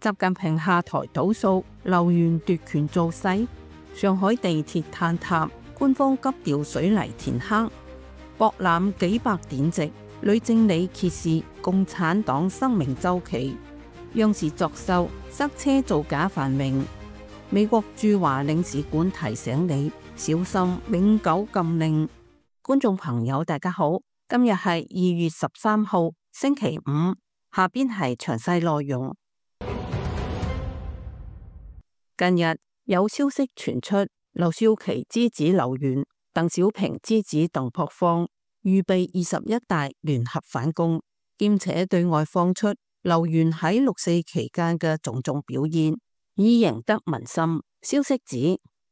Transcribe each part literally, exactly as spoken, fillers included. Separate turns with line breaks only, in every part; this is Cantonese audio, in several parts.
習近平下台倒數，劉源奪權造勢。上海地鐵坍塌，官方急調水泥填坑。博覽幾百典籍，女正理揭示共產黨生命週期。央視作秀，塞車造假繁榮。美國駐華領事館提醒你小心永久禁令。觀眾朋友大家好，今日係二月十三號星期五，下邊係詳細內容。近日有消息傳出，劉少奇之子劉源、鄧小平之子鄧樸方預備二十一大聯合反攻，兼且對外放出劉源喺六四期間嘅種種表現，已贏得民心。消息指，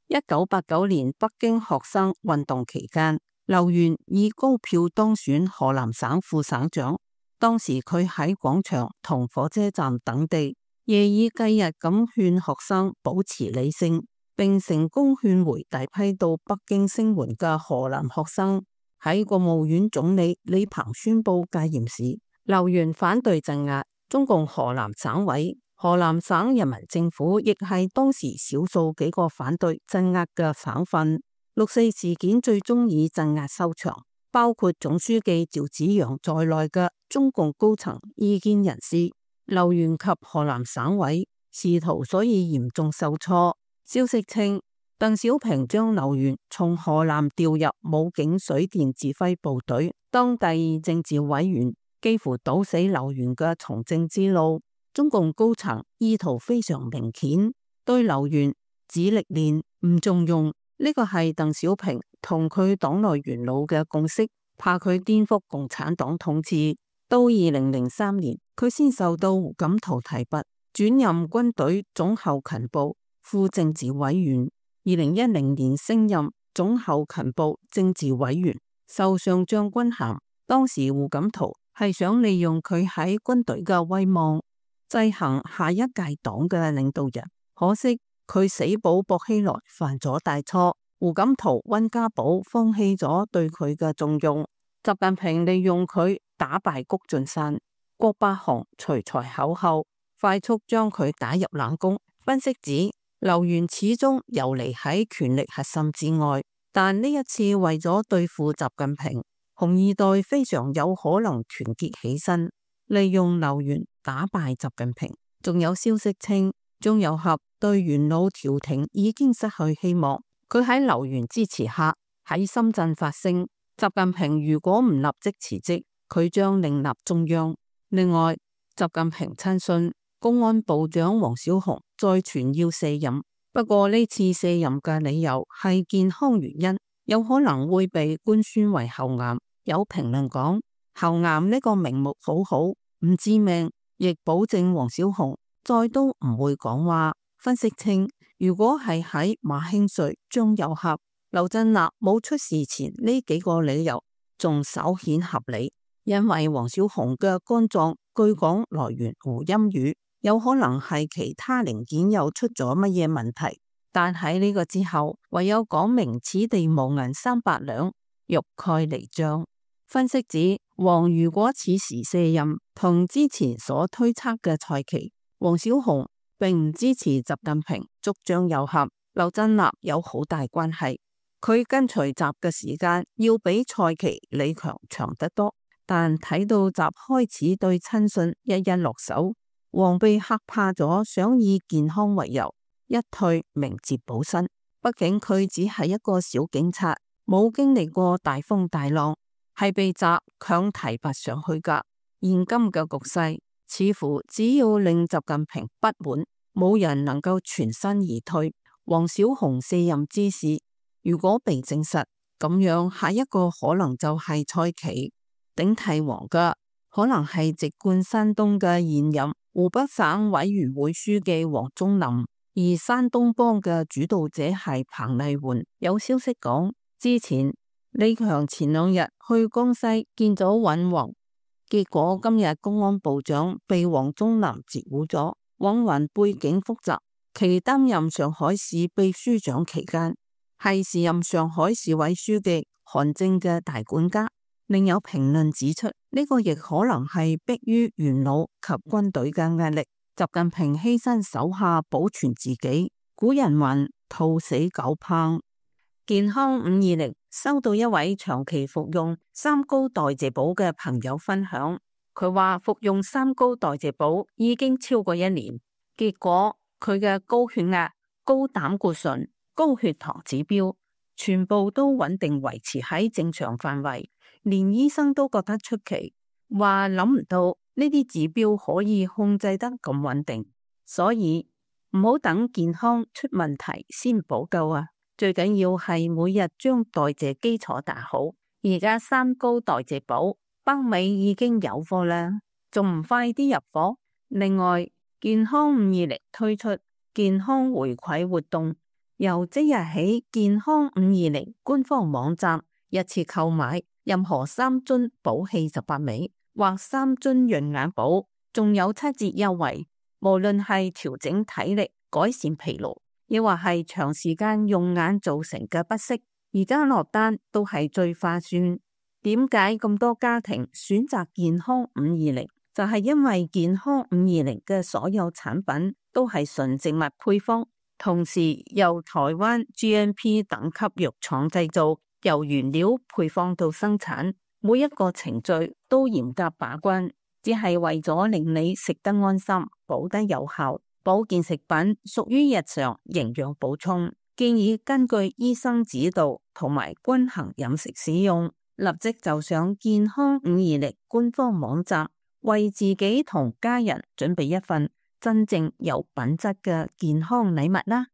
一九八九年北京學生運動期間，劉源以高票當選河南省副省長。當時佢喺廣場同火車站等地，夜以繼日咁勸學生保持理性，並成功勸回大批到北京聲援嘅河南學生。喺國務院總理李鵬宣布戒嚴時，劉源反對鎮壓。中共河南省委、河南省人民政府亦係當時少數幾個反對鎮壓嘅省份。六四事件最終以鎮壓收場，包括總書記趙紫陽在內嘅中共高層意見人士、劉源及河南省委仕途所以嚴重受挫。消息稱，鄧小平將劉源從河南調入武警水電指揮部隊當第二政治委員，幾乎堵死劉源嘅從政之路。中共高層意圖非常明顯，對劉源只歷練唔重用，呢個係鄧小平同佢黨內元老嘅共識，怕佢顛覆共產黨統治。到二零零三年，佢先受到胡錦濤提拔，轉任軍隊總後勤部副政治委員。二零一零年升任總後勤部政治委員，授上將軍銜。當時胡錦濤係想利用佢喺軍隊嘅威望，制衡下一屆黨嘅領導人。可惜佢死保薄熙來犯咗大錯，胡錦濤、溫家寶放棄咗對佢嘅重用。習近平利用佢打敗谷俊山、郭伯雄隨才口後，快速將佢打入冷宮。分析指，劉源始終游離喺權力核心之外，但呢一次為咗對付習近平，紅二代非常有可能團結起身，利用劉源打敗習近平。仲有消息稱，張又俠對元老調停已經失去希望，佢喺劉源支持下喺深圳發聲，習近平如果唔立即辭職，佢將另立中央。另外，習近平親信公安部長王小洪再傳要卸任，不過呢次卸任嘅理由係健康原因，有可能會被官宣為喉癌。有評論講，喉癌呢個名目好好，唔致命，亦保證王小洪再都唔會講話。分析稱，如果係喺馬興瑞、張又俠、劉振立冇出事前，呢幾個理由仲稍顯合理，因為王小洪嘅肝臟據講來源胡鑫宇，有可能係其他零件又出咗乜嘢問題。但喺呢個之後，唯有講明此地無銀三百兩，欲蓋彌彰。分析指，王如果此時卸任，同之前所推測嘅賽期，王小洪並唔支持習近平捉張又俠、劉振立有好大關係。佢跟隨習嘅時間要比賽期李強長得多，但睇到習開始對親信一一落手，王被嚇怕咗，想以健康為由一退名捷保身。畢竟佢只係一個小警察，冇經歷過大風大浪，係被習強提拔上去噶。現今嘅局勢似乎只要令習近平不滿，冇人能夠全身而退。王小洪卸任之事如果被證實，咁樣下一個可能就係蔡奇，頂替王嘅可能係籍貫山東嘅現任湖北省委員會書記王忠林，而山東幫嘅主導者係彭麗媛。有消息講，之前李強前兩日去江西見咗尹宏，結果今日公安部長被王忠林截胡咗。尹宏背景複雜，其擔任上海市秘書長期間係時任上海市委書記韓正嘅大管家。另有評論指出，呢、這個亦可能係迫於元老及軍隊嘅壓力，習近平犧牲手下保存自己。古人云：兔死狗烹。健康五二零收到一位長期服用三高代謝寶嘅朋友分享，佢話服用三高代謝寶已經超過一年，結果佢嘅高血壓、高膽固醇、高血糖指標全部都穩定維持喺正常範圍，連醫生都覺得出奇，話諗唔到呢啲指標可以控制得咁穩定，所以唔好等健康出問題先補救啊！最緊要係每日將代謝基礎打好。而家三高代謝寶北美已經有貨啦，仲唔快啲入貨？另外，健康五二零推出健康回饋活動，由即日起，健康五二零官方網站一次購買任何三樽寶氣十八味或三樽潤眼寶，仲有七折優惠。無論係調整體力、改善疲勞，亦或係長時間用眼造成嘅不適，而家落單都係最划算。點解咁多家庭選擇健康五二零？就係因為健康五二零嘅所有產品都係純植物配方，同時由台灣 G M P 等級藥廠製造，由原料配方到生產，每一個程序都嚴格把關，只係為咗令你食得安心、補得有效。保健食品屬於日常營養補充，建議根據醫生指導同埋均衡飲食使用。立即就上健康五二零官方網站，為自己同家人準備一份真正有品質嘅健康禮物啦！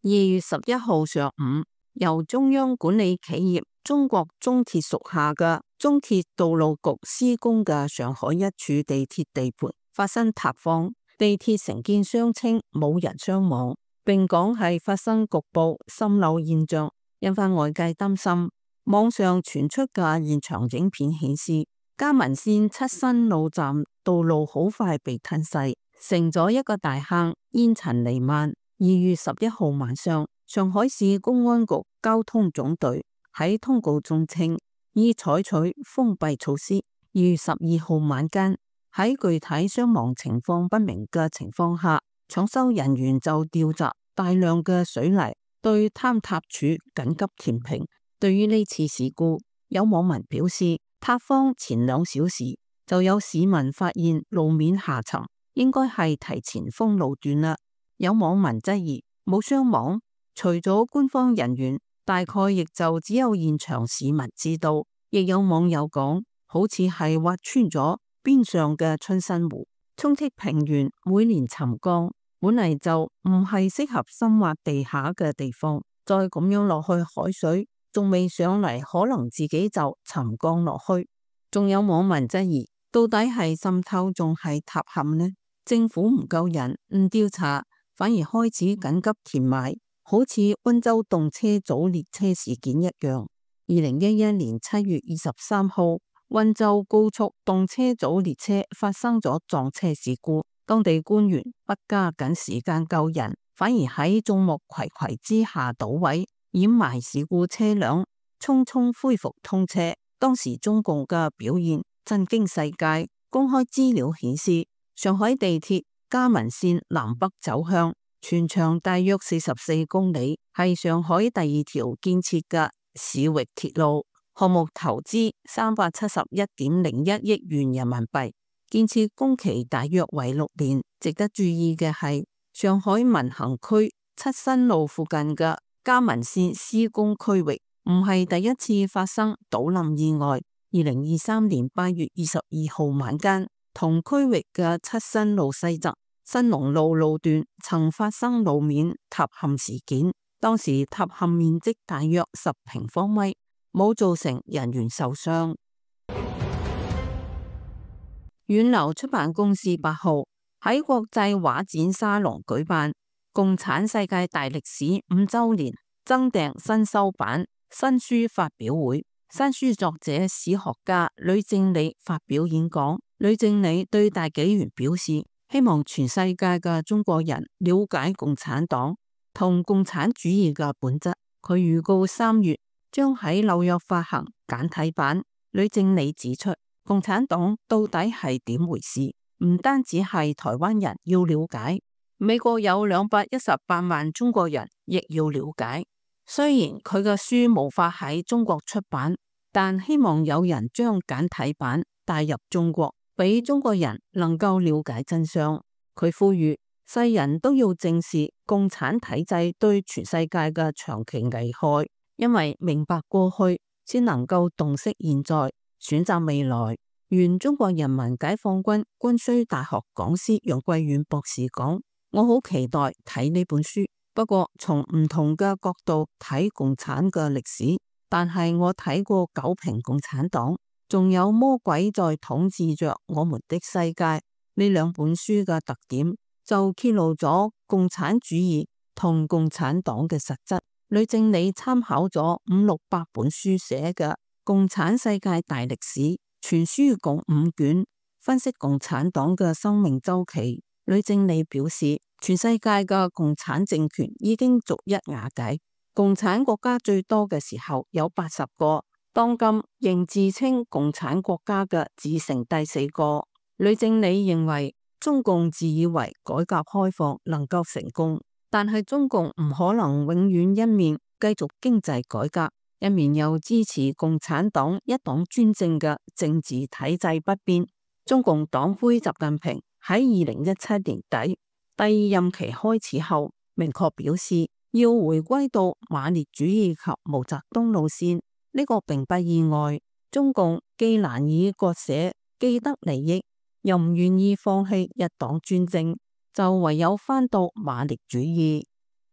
二月十一號上午，由中央管理企業中國中鐵屬下嘅中鐵道路局施工嘅上海一處地鐵地盤發生塌方，地鐵承建商稱冇人傷亡，並講係發生局部滲漏現象，引發外界擔心。網上傳出嘅現場影片顯示，嘉文線七新路站道路好快被吞噬，成咗一個大坑，煙塵彌漫。二月十一號晚上，上海市公安局交通總隊喺通告中稱，已採取封閉措施。二月十二號晚間，喺具體傷亡情況不明嘅情況下，搶修人員就調集大量嘅水泥對坍塌處緊急填平。對於呢次事故，有網民表示，塌方前兩小時就有市民發現路面下沉，應該係提前封路段啦。有網民質疑冇傷亡，除咗官方人員，大概亦就只有現場市民知道。亦有網友講，好似係挖穿咗邊上嘅春生湖，充斥平原。每年沉降本嚟就唔係適合深挖地下嘅地方，再咁樣落去，海水仲未上嚟，可能自己就沉降落去。仲有網民質疑，到底係滲透仲係塌陷呢？政府唔夠人，唔調查，反而開始緊急填埋，好似溫州動車組列車事件一樣。二零一一年七月二十三號，溫州高速動車組列車發生咗撞車事故，當地官員不加緊時間救人，反而喺眾目睽睽之下倒位，掩埋事故車輛，匆匆恢復通車。當時中共嘅表現震驚世界。公開資料顯示，上海地鐵嘉文線南北走向，全長大約四十四公里，係上海第二條建設嘅市域鐵路。項目投資三百七十一點零一億元人民幣，建設工期大約為六年。值得注意嘅係，上海閔行區七新路附近嘅嘉文線施工區域唔係第一次發生倒冧意外。二零二三年八月二十二號晚間，同區域嘅七新路西側新農路路段曾發生路面塌陷事件，當時塌陷面積大約十平方米，冇造成人員受傷。遠流出版公司八號喺國際畫展沙龍舉辦共產世界大歷史五周年增訂新修版新書發表會，新書作者史學家呂正理發表演講。呂正理對大紀元表示，希望全世界嘅中國人了解共產黨同共產主義嘅本質。佢預告三月將喺紐約發行簡體版。呂正理指出，共產黨到底係點回事？唔單止係台灣人要了解，美國有兩百一十八萬中國人亦要了解。雖然佢嘅書無法喺中國出版，但希望有人將簡體版帶入中國，俾中國人能夠了解真相。佢呼籲世人都要正視共產體制對全世界嘅長期危害，因為明白過去先能夠洞悉現在，選擇未來。原中國人民解放軍軍需大學講師楊貴遠博士講：我好期待睇呢本書，不過從唔同嘅角度睇共產嘅歷史。但係我睇過《九評共產黨》，仲有《魔鬼在統治着我們的世界》呢兩本書嘅特點，就揭露咗共產主義同共產黨嘅實質。呂正理參考咗五六百本書寫嘅《共產世界大歷史》，全書共五卷，分析共產黨嘅生命週期。呂正理表示，全世界嘅共產政權已經逐一瓦解，共產國家最多嘅時候有八十個，當今仍自稱共產國家嘅只剩第四個。呂正理認為，中共自以為改革開放能夠成功，但係中共唔可能永遠一面繼續經濟改革，一面又支持共產黨一黨專政嘅政治體制不變。中共黨魁習近平喺二零一七年底第二任期開始後，明確表示要回歸到馬列主義及毛澤東路線。呢個並不意外，中共既難以割捨既得利益，又唔願意放棄一黨專政，就唯有返到馬列主義。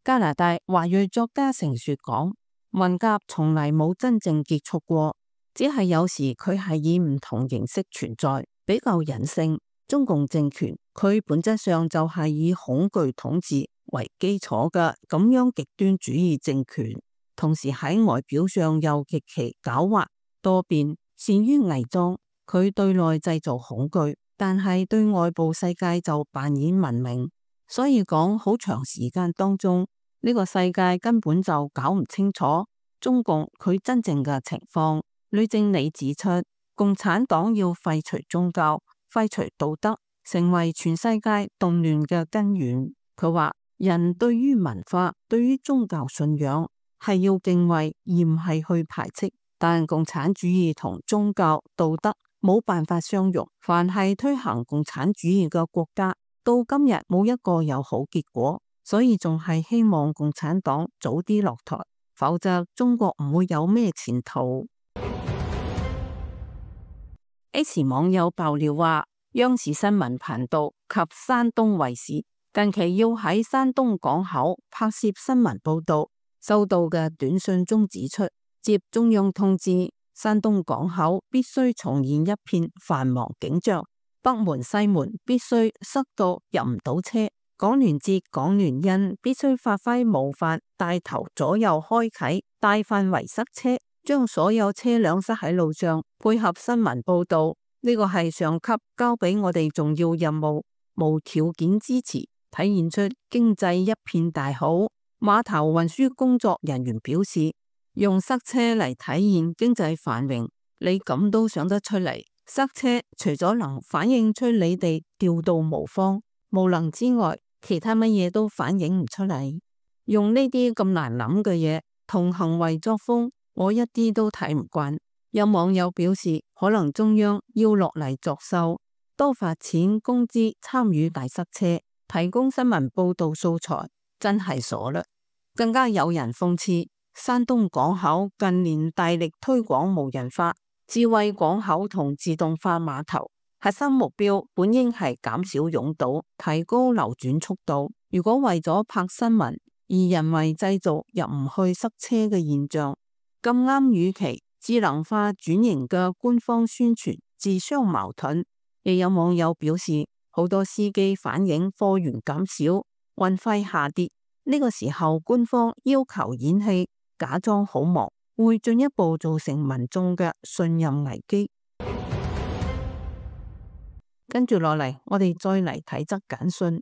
加拿大華裔作家成雪講：文革從嚟冇真正結束過，只係有時佢係以唔同形式存在，比較隱性。中共政權佢本質上就係以恐懼統治為基礎嘅咁樣極端主義政權，同時喺外表上又極其狡猾多變，善於偽裝。佢對內製造恐懼，但係對外部世界就扮演文明。所以講好長時間當中，呢個世界根本就搞唔清楚中共佢真正嘅情況。呂正理指出，共產黨要廢除宗教、廢除道德，成為全世界動亂嘅根源。佢話人對於文化、對於宗教信仰係要敬畏，而唔係去排斥。但共產主義同宗教、道德冇辦法相容。凡係推行共產主義嘅國家，到今日冇一個有好結果。所以仲係希望共產黨早啲落台，否則中國唔會有咩前途。X 網友爆料話，央視新聞頻道及山東衛視近期要喺山東港口拍攝新聞報道，收到嘅短信中指出，接中央通知，山東港口必須重現一片繁忙景象，北門西門必須塞到入唔到車。港聯捷、港聯印必須發揮模範，帶頭左右開啟，大範圍塞車，將所有車輛塞喺路上，配合新聞報道。呢個係上級交俾我哋重要任務，無條件支持，體現出經濟一片大好。碼頭運輸工作人員表示，用塞車嚟體現經濟繁榮，你咁都想得出嚟？塞車除咗能反映出你哋調度無方、無能之外，其他乜嘢都反映唔出嚟。用呢啲咁難諗嘅嘢同行為作風，我一啲都睇唔慣。有網友表示，可能中央要落嚟作秀，多發錢工資參與大塞車，提供新聞報道素材，真係傻啦。更加有人諷刺，山東港口近年大力推廣無人化、智慧港口同自動化碼頭，核心目標本應係減少擁堵、提高流轉速度。如果為咗拍新聞而人為製造入唔去塞車嘅現象，咁啱與其智能化轉型嘅官方宣傳自相矛盾。亦有網友表示，好多司機反映貨源減少、運費下跌，呢個時候官方要求演戲、假裝好忙，會進一步造成民眾嘅信任危機。跟住落嚟，我哋再嚟睇則簡訊。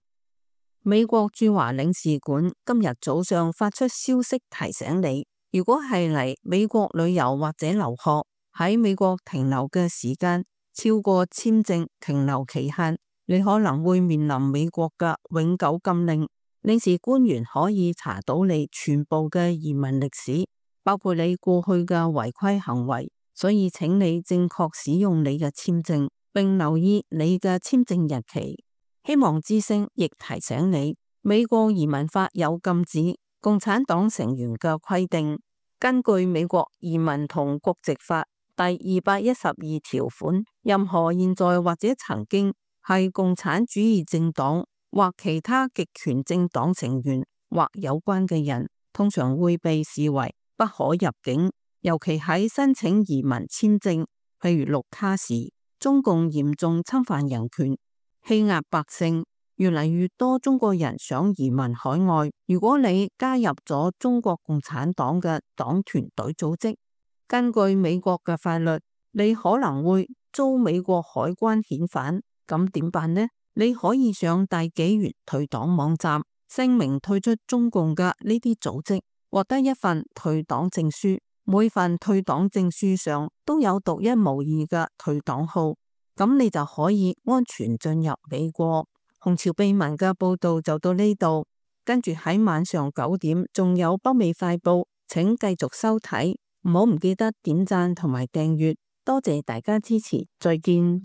美國駐華領事館今日早上發出消息提醒你，如果係嚟美國旅遊或者留學，喺美國停留嘅時間超過簽證停留期限，你可能會面臨美國嘅永久禁令。領事官員可以查到你全部嘅移民歷史，包括你過去嘅違規行為，所以請你正確使用你嘅簽證，並留意你嘅簽證日期。希望之聲亦提醒你，美國移民法有禁止共產黨成員嘅規定。根據美國移民同國籍法第二百一十二條款，任何現在或者曾經係共產主義政黨或其他極權政黨成員或有關嘅人，通常會被視為不可入境，尤其喺申請移民簽證，譬如綠卡時，中共嚴重侵犯人權，欺壓百姓。越嚟越多中國人想移民海外。如果你加入咗中國共產黨嘅黨團隊組織，根據美國嘅法律，你可能會遭美國海關遣返。咁點辦呢？你可以上大紀元退黨網站，聲明退出中共嘅呢啲組織，獲得一份退黨證書。每份退黨證書上都有獨一無二嘅退黨號，咁你就可以安全進入美國。紅潮秘聞嘅報道就到呢度，跟住喺晚上九點仲有北美快報，請繼續收睇，唔好唔記得點讚同埋訂閱，多謝大家支持，再見。